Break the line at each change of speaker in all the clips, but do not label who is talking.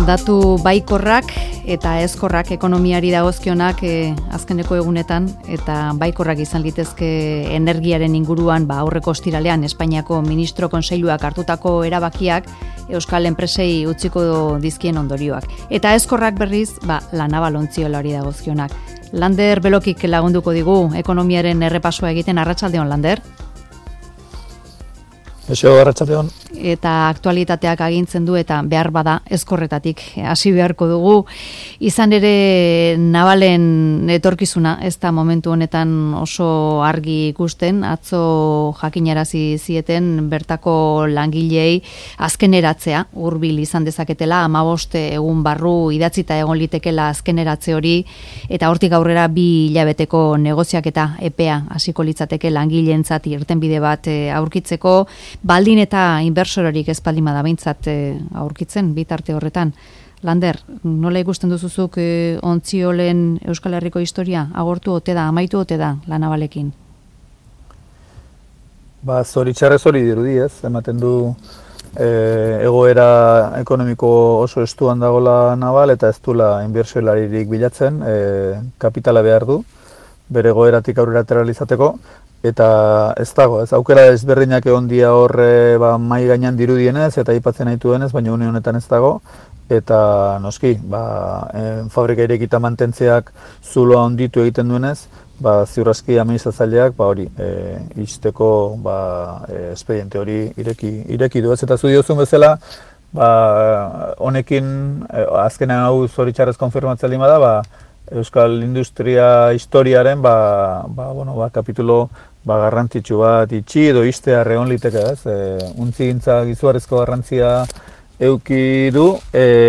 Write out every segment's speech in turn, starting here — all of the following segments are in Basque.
Datu baikorrak eta ezkorrak ekonomiari dagozkionak azkeneko egunetan, eta baikorrak izan litezke energiaren inguruan aurreko ostiralean Espainiako Ministro Kontseiluak hartutako erabakiak euskal enpresei utziko dizkien ondorioak. Eta ezkorrak berriz, La Naval ontziolari dagozkionak. Lander Belokik lagunduko digu ekonomiaren errepasoa egiten. Arratsaldeon, Lander.
Eso, arratsaldeon.
Eta aktualitateak agintzen du, eta behar bada ezkorretatik hasi beharko dugu. Izan ere Navalen etorkizuna ez da momentu honetan oso argi ikusten. Atzo jakinarazi zieten bertako langileei azkeneratzea hurbil izan dezaketela, 15 egun barru idatzita egon litekela azkeneratze hori, eta hortik aurrera 2 hilabeteko negoziaketa epea hasiko litzateke langileentzat irtenbide bat aurkitzeko, baldin eta inbersorerik ez baldin bada behintzat aurkitzen bitarte horretan. Lander, nola ikusten duzuzuk ontziolen Euskal Herriko historia? Agortu ote da, amaitu ote da La Navalekin?
Zoritxarrez hori dirudi, ez? Ematen du egoera ekonomiko oso estuan dago La Naval, eta ez duela inbertsioelaririk bilatzen, kapitala behar du, bere egoeratik aurrera ateralizateko. Eta ez dago, ez aukera ezberdinak egon dia horre mai gainean dirudienez eta aipatzen naituenez, baina une honetan ez dago. Eta noski, fabrika irekita mantentzeak zuloa onditu egiten duenez, ziur aski administratzaileak hori ixteko espediente hori ireki du. Eta zu diozun bezala, honekin azkenean hau zoritxarrez konfirmatzen lima da, Euskal Industria historiaren kapitulo garrantzitsu bat itxi edo ixtea egon liteke, ez? Untzigintza izugarrizko garrantzia eduki du,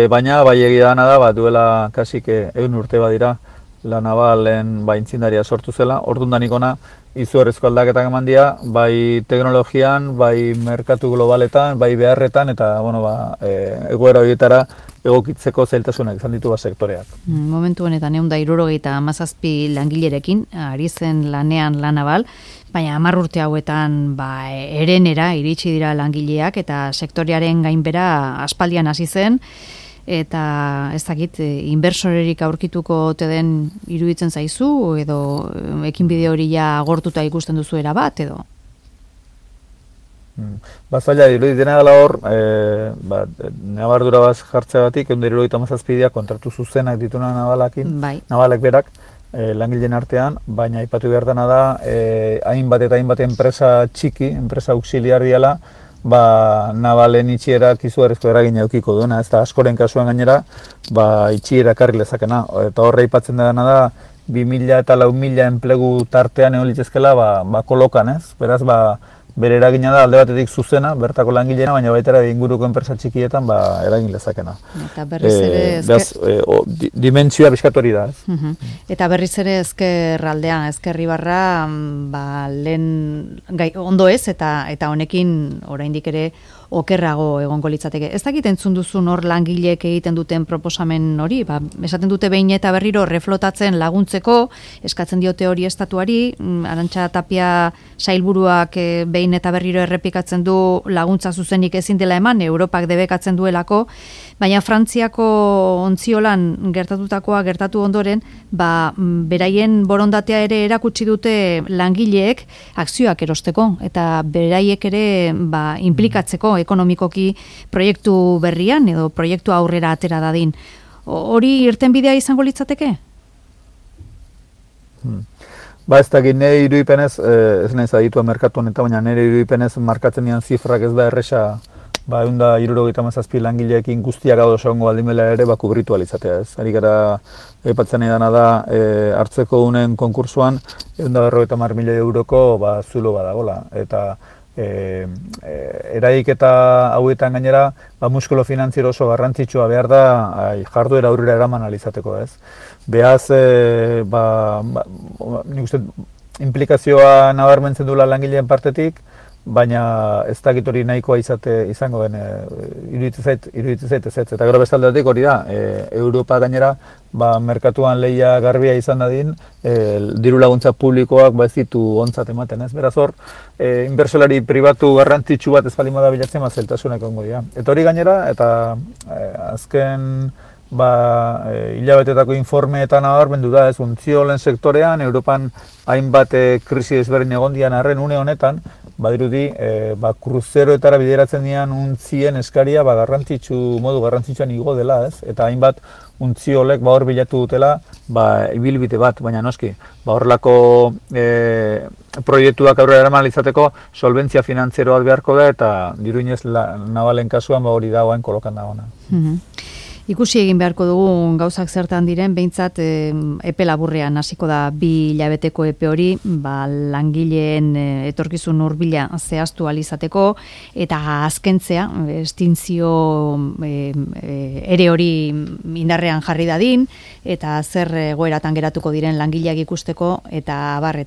baina egia dana da duela kasik 100 urte badira La Navalen aitzindaria sortu zela. Ordundanik hona izugarrizko aldaketak eman dira, bai teknologian, bai merkatu globaletan, bai beharretan, eta egoera horietara egokitzeko zailtasunak izan ditu sektoreak.
Momentu honetan 177 langilerekin ari zen lanean La Naval, baina 10 urte hauetan erenera iritsi dira langileak, eta sektorearen gainbera aspaldian hasi zen, eta ez dakit, inbersorerik aurkituko ote den iruditzen zaizu, edo ekinbide hori agortuta ikusten duzu erabat, edo?
Zaila, iruditena dela hor, nabardura bat jartzeagatik, 177 kontratu zuzenak dituna Navalek berak, langileen artean, baina aipatu behar dena da, hainbat enpresa txiki, enpresa auxiliar diala, Navalen itxierak izugarrizko eragina edukiko duena, ez da askoren kasuan gainera, itxiera karri lezakena. Eta horre aipatzen dena da, 2000 eta 4000 enplegu tartean egon litzezkela kolokan, ez? Beraz, bere eragina da alde batetik zuzena, bertako langileena, baina baita inguruko enpresa txikietan eragin lezakena.
Eta berriz ere
dimentsioa bizkat hori da, ez?
Eta berriz ere ezkerraldean, ezkerribarra lehen ondo ez, eta honekin oraindik ere okerrago egongo litzateke. Ez dakit entzun duzun hor langileek egiten duten proposamen hori, esaten dute behin eta berriro reflotatzen laguntzeko, eskatzen diote hori estatuari, Arantxa Tapia sailburuak behin eta berriro errepikatzen du laguntza zuzenik ezin dela eman, Europak debekatzen duelako, baina Frantziako ontziolan gertatu ondoren, beraien borondatea ere erakutsi dute langileek akzioak erosteko, eta beraiek ere implikatzeko ekonomikoki proiektu berrian edo proiektu aurrera atera dadin. Hori irtenbidea izango litzateke?
Ez dakit, nire irudipenez, ez nahiz aditua merkatu honetan, baina nire irudipenez markatzen dian zifrak ez da erresa, 177 langileekin guztiak gaudo egongo baldin bela ere kubritu alizatea, ez? Ari gara aipatzen nahi dana da, hartzeko unen konkursuan 150 milioi euroko zulo badagola, eta eraiketa hauetan gainera, muskulo finantziero oso garrantzitsua behar da jarduera aurrera eraman alizateko, ez? Beaz, nik uste implikazioa nabarmentzen duela langileen partetik, baina ez dakit hori nahikoa izango den, iruditzen zait ez. Eta gero bestaldetik hori da, Europa gainera, merkatuan lehia garbia izan dadin, diru laguntza publikoak ez ditu ontzat ematen, ez? Beraz hor, inbertsolari pribatu garrantzitsu bat ez baldin bada bilatzen, zeltasunak ongo dira. Eta hori gainera, eta azken hilabetetako informeetan nabarmendu da, ez, untziolen sektorean, Europan hainbat krisi ezberdin egon dian arren une honetan, badirudi, kruzeroetara bideratzen dian untzien eskaria modu garrantzitsuan igo dela, ez? Eta hainbat untziolek hor bilatu dutela ibilbide bat, baina noski, horrelako proiektuak aurrera eraman izateko solventzia finantzieroa beharko da, eta diruinez nabalen kasuan hori da oain kolokan dagoena.
Ikusi egin beharko dugu gauzak zertan diren, behintzat epe laburrean hasiko da 2 hilabeteko epe hori, langileen etorkizun hurbila zehaztu ahal izateko eta azkentzea, estintzio ere hori indarrean jarri dadin eta zer egoeratan geratuko diren langileak ikusteko eta abar.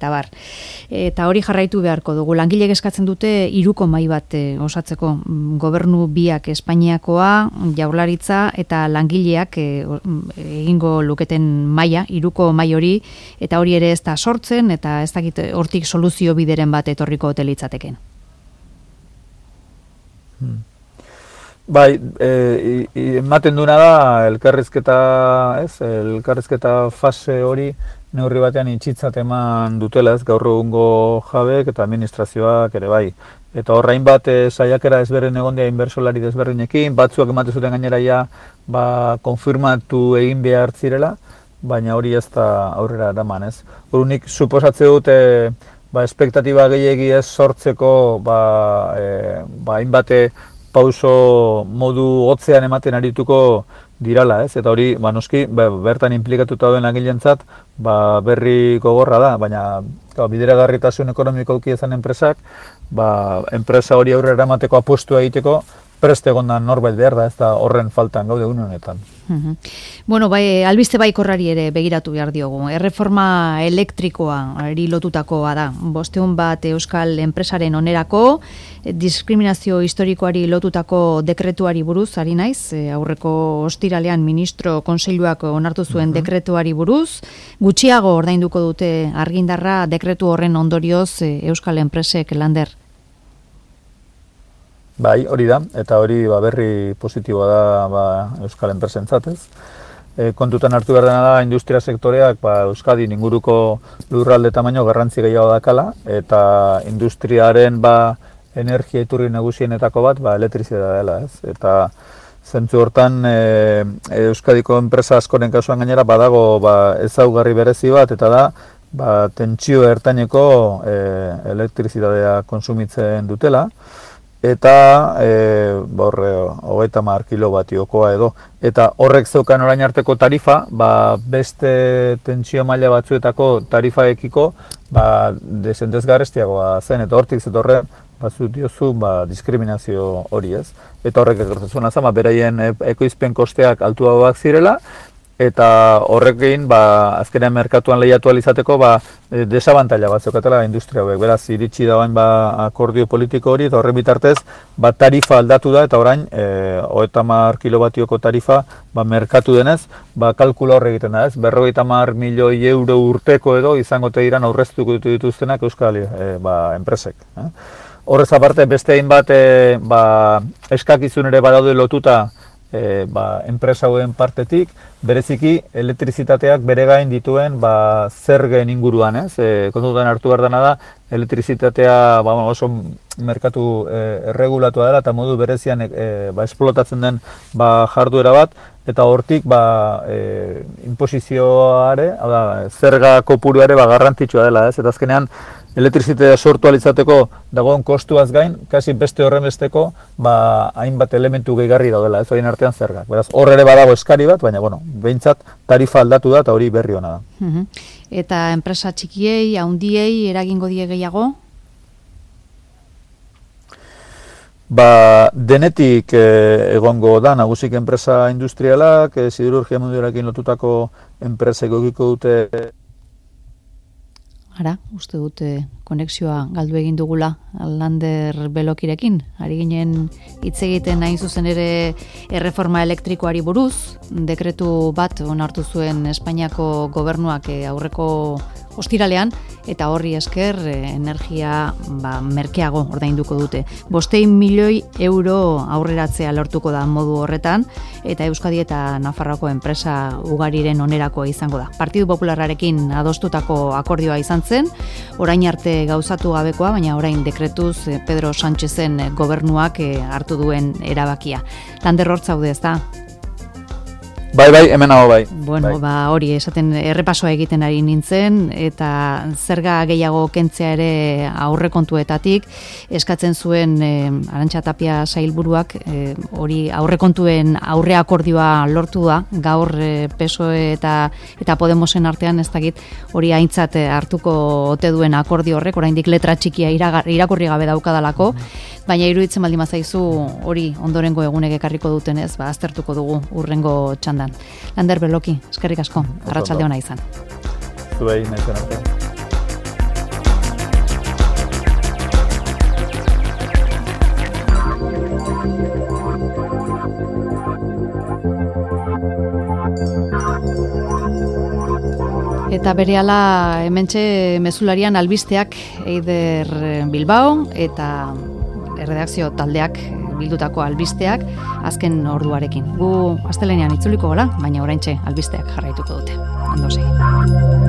Eta hori jarraitu beharko dugu. Langileek eskatzen dute 3 mahai bat osatzeko, gobernu biak Espainiakoa, Jaurlaritza eta langileak egingo luketen maila, 3 mahai hori, eta hori ere ez da sortzen, eta ez dakit hortik soluzio bideren bat etorriko ote litzateken.
Bai, ematen duna da elkarrizketa fase hori neurri batean itxitzat eman dutela, ez, gaur egungo jabeek eta administrazioak ere bai. Eta horrain bat saiakera ezberdin egon dira inbertsolari desberdinekin, batzuak ematen zuten gainera konfirmatu egin behar zirela, baina hori ez da aurrera eraman, ez. Horunik suposatze dut espektatiba gehiegi ez sortzeko hainbat pauso modu hotzean ematen arituko dirala, ez? Eta hori, noski, bertan inplikatuta dauden langilentzat, berri gogorra da, baina bideragarritasun ekonomiko eduki izan enpresak, enpresa hori aurrera eramateko apustua egiteko prest egondan norbait behar da, ez da horren faltan gaude une honetan.
Bueno, albiste baikorrari ere begiratu behar diogu. Erreforma elektrikoa lotutakoa da. 500 bat euskal enpresaren onerako, diskriminazio historikoari lotutako dekretuari buruz, ari naiz, aurreko ostiralean ministro kontseiluak onartu zuen dekretuari buruz, gutxiago ordainduko dute argindarra dekretu horren ondorioz euskal enpresek, Lander.
Bai, hori da, eta hori berri positiboa da euskal enpresentzat, ez. Kontutan hartu behar dena da, industria sektoreak Euskadin inguruko lurralde tamaino garrantzi gehiago dakala, eta industriaren energia iturri nagusienetako bat elektrizitatea dela, ez. Eta zentzu hortan Euskadiko enpresa askoren kasuan gainera badago ezaugarri berezi bat, eta da tentsio ertaineko elektrizitatea konsumitzen dutela, eta 30 kilovatiokoa edo. Eta horrek zeukan orain arteko tarifa, beste tentsio maila batzuetako tarifaekiko desentezgarrestiagoa zen, eta hortik zetorren batzut diozu diskriminazio hori, ez. Eta horrek egertatzen zama, beraien ekoizpen kosteak altuagoak zirela, eta horrekin azkenean merkatuan lehiatu izateko desabantaila bat zeukatela industria hauek. Beraz, iritsi dagoen akordio politiko hori, eta horren bitartez tarifa aldatu da, eta orain 30 kilobatioko tarifa merkatu denez, kalkula horre egiten da, ez? 50 milioi euro urteko edo izango diran aurreztuko dituztenak euskal enpresek. Horrez aparte, beste hainbat eskakizun ere badaude lotuta enpresa hauen partetik, bereziki elektrizitateak bere gain dituen zergen inguruan, ez? Kontutan hartu behar dena da, elektrizitatea oso merkatu erregulatua dela eta modu berezian esplotatzen den jarduera bat, eta hortik inposizioare, zerga kopuru ere garrantzitsua dela, ez? Eta azkenean elektrizitatea sortu alizateko dagoen kostuaz gain, kasi beste horren besteko hainbat elementu gehigarri daudela, ez horien artean zergak. Beraz, hor ere badago eskari bat, baina behintzat tarifa aldatu da eta hori berri hona da.
Eta enpresa txikiei, handiei eragingo die gehiago?
Denetik egongo da, nagusik enpresa industrialak, siderurgia munduarekin lotutako enpresek egiko dute.
Ara, uste dute konexioa galdu egin dugula Lander Belokirekin. Ari ginen hitz egiten hain zuzen ere erreforma elektrikoari buruz, dekretu bat onartu zuen Espainiako gobernuak aurreko ostiralean, eta horri esker energia merkeago ordainduko dute. 500 milioi euro aurreratzea lortuko da modu horretan, eta Euskadi eta Nafarroako enpresa ugariren onerako izango da. Partidu Popularrarekin adostutako akordioa izan zen, orain arte gauzatu gabekoa, baina orain dekretuz Pedro Sánchezen gobernuak hartu duen erabakia. Lander hor zaude, ezta?
Bai, hemen hau bai.
Bueno, hori esaten errepasoa egiten ari nintzen, eta zerga gehiago kentzea ere aurrekontuetatik eskatzen zuen Arantxa Tapia sailburuak hori aurrekontuen aurre akordioa lortu da, gaur PSOE eta Podemosen artean ez dakit hori aintzat hartuko ote duen akordio horrek, oraindik letra txikia irakurri gabe daukadalako, baina iruditzen baldin bazaizu hori ondorengo egunek ekarriko dutenez, aztertuko dugu hurrengo txandan. Lander Beloki, eskerrik asko, arratsalde ona izan.
Zuei, naizen arte.
Eta berehala hementxe mezularian albisteak Eider Bilbao eta erredakzio taldeak bildutako albisteak azken orduarekin. Gu astelehenean itzuliko gola, baina oraintxe albisteak jarraituko dute. Ondo segi.